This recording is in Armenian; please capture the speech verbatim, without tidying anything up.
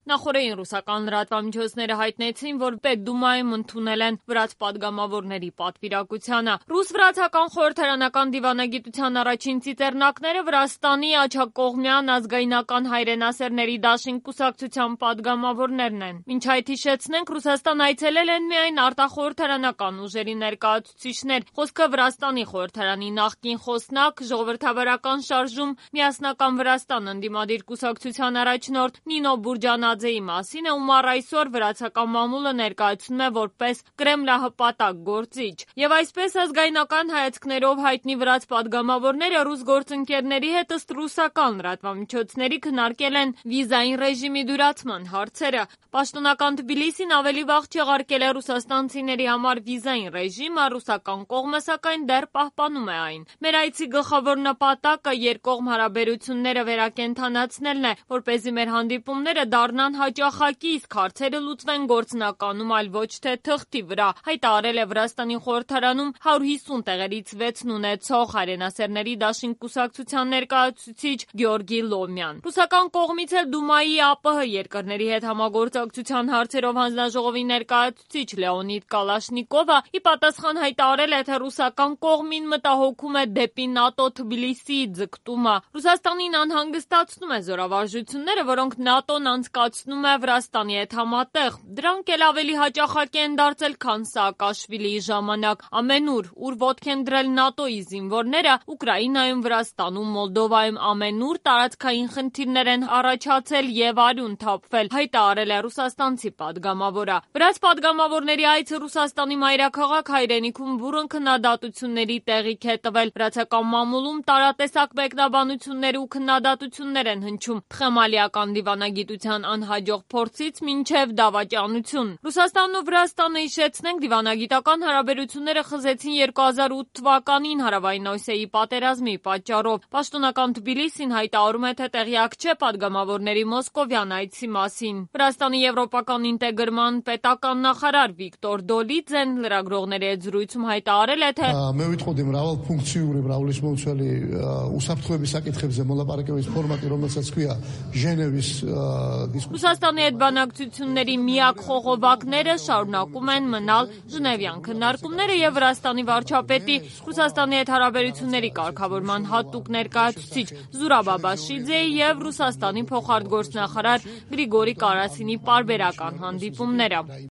Նախորդին ռուսական լրատվամիջոցները հայտնեցին, որ Պետդումայում ընդունել են վրաց պատգամավորների պատվիրակությանը։ Ռուս-վրացական խորհրդարանական դիվանագիտության առաջին ծիծեռնակները Վրաստանի աջակողմյան ազգայնական հայրենասերների դաշինք կուսակցության պատգամավորներն են։ Մինչ այդ հիշեցնենք, Ռուսաստան այցելել են միայն արտախորհրդարանական ուժերի ներկայացուցիչներ։ Խոսքը Վրաստանի խորհրդարանի նախկին խոսնակ, ժողովրդավարական շարժում Միասնական Վրաստան ընդդիմադիր կուսակցության առաջնորդ Նինո Բուրջանաձեի մասին է, ում առ այսօր վրացական մամուլը ներկայացնում է որպես կրեմլահպատակ գործիչ։ Եվ այսպես ազգայնական հայացքներով հայտնի վրաց պատգամավորները ռուս գործընկերների հետ ըստ ռուսական լրատվամիջոցների քննարկել են վիզային ռեժիմի դյուրացման հարցերը։ Պաշտոնական Թբիլիսին ավելի վաղ չեղարկել է ռուսաստանցիների համար վիզային ռեժիմը, ռուսական կողմը սակայն դեռ պահպանում է այն։ Մեր այցի գլխավոր նպատակը երկկողմ հարաբերությունները վերակենդանացնելն է, որպեսզի մեր հանդիպումները դառնան հաճախակի, իսկ հարցերը լուծվեն գործնականում, այլ ոչ թե թղթի վրա, հայտարարել է Վրաստանի խորհրդարանում հարյուր հիսուն տեղերից վեցն ունեցող հայրենասերների դաշինք կուսակցության ներկայացուցիչ Գեորգի Լոմյան։ Ռուսական կողմից էլ Դումայի ԱՊՀ երկրների հետ համագործակցության հարցերով հանձնաժողովի ներկայացուցիչ Լեոնիդ Կալաշնիկովը ի պատասխան հայտարարել է, թե ռուսական կողմին մտահոգում է դեպի ՆԱՏՕ Թբիլիսիի ձգտումը։ Ռուսաստանին անհանգստացնում է զորավարժությունները, որոնք ՆԱՏՕ-ն անցկացնում է Վրաստանի հետ համատեղ։ Դրանք էլ ավելի հաճախակի են դարձել, քան Սաակաշվիլիի ժամանակ։ Ամենուր, ուր ոտք են դրել ՆԱՏՕ-ի զինվորները, Ուկրաինայում, Վրաստանում, Մոլդովայում, ամենուր տարածքային խնդիրներ են առաջացել եւ արյուն թափվել, հայտարարել է ռուսաստանցի պատգամավորը։ Վրաց պատգամավորների այցը Ռուսաստանի մայրաքաղաք հայրենիքում բուռն քննադատությունների տեղիք է տվել։ Վրացական մամուլում տարատեսակ մեկնաբանություններ ու քննադատություններ են հնչում թխեմալիական դիվանագիտության անհաջող փորձից մինչև դավաճանություն։ Ռուսաստանն ու Վրաստանը, հիշեցնենք, դիվանագիտական հարաբերությունները խզեցին երկու հազար ութ թվականին Հարավային Օսիայի պատերազմի պատճառով։ Պաշտոնական Թբիլիսին հայտարարում է, թե տեղյակ չէ պատգամավորների մոսկովյան այցի մասին։ Վրաստանի եվրոպական ինտեգրման պետական նախարար Վիկտոր Դոլիձեն լրագրողների հետ զրույցում հայտարարել է, թե მე ვიტყოდი მრავალფუნქციური, მრავალისმომცველი უსაფრთხოების საკითხებზე მოლაპარაკების ფორმატი, რომელსაც ქვია ჟენევის դիսկուսիա։ Ռուսաստանի հետ բանակցությունների միակ խողովակները շարունակում են մնալ Ժնևյան քննարկումները եւ Վրաստանի վարչապետի Ռուսաստանի հետ հարաբերությունների կարգավորման հատուկ ներկայացուցիչ Զուրաբ Աբաշիձեի եւ Ռուսաստանի փոխարտգործնախարար Գրիգորի Կարասինի պարբերական հանդիպումները։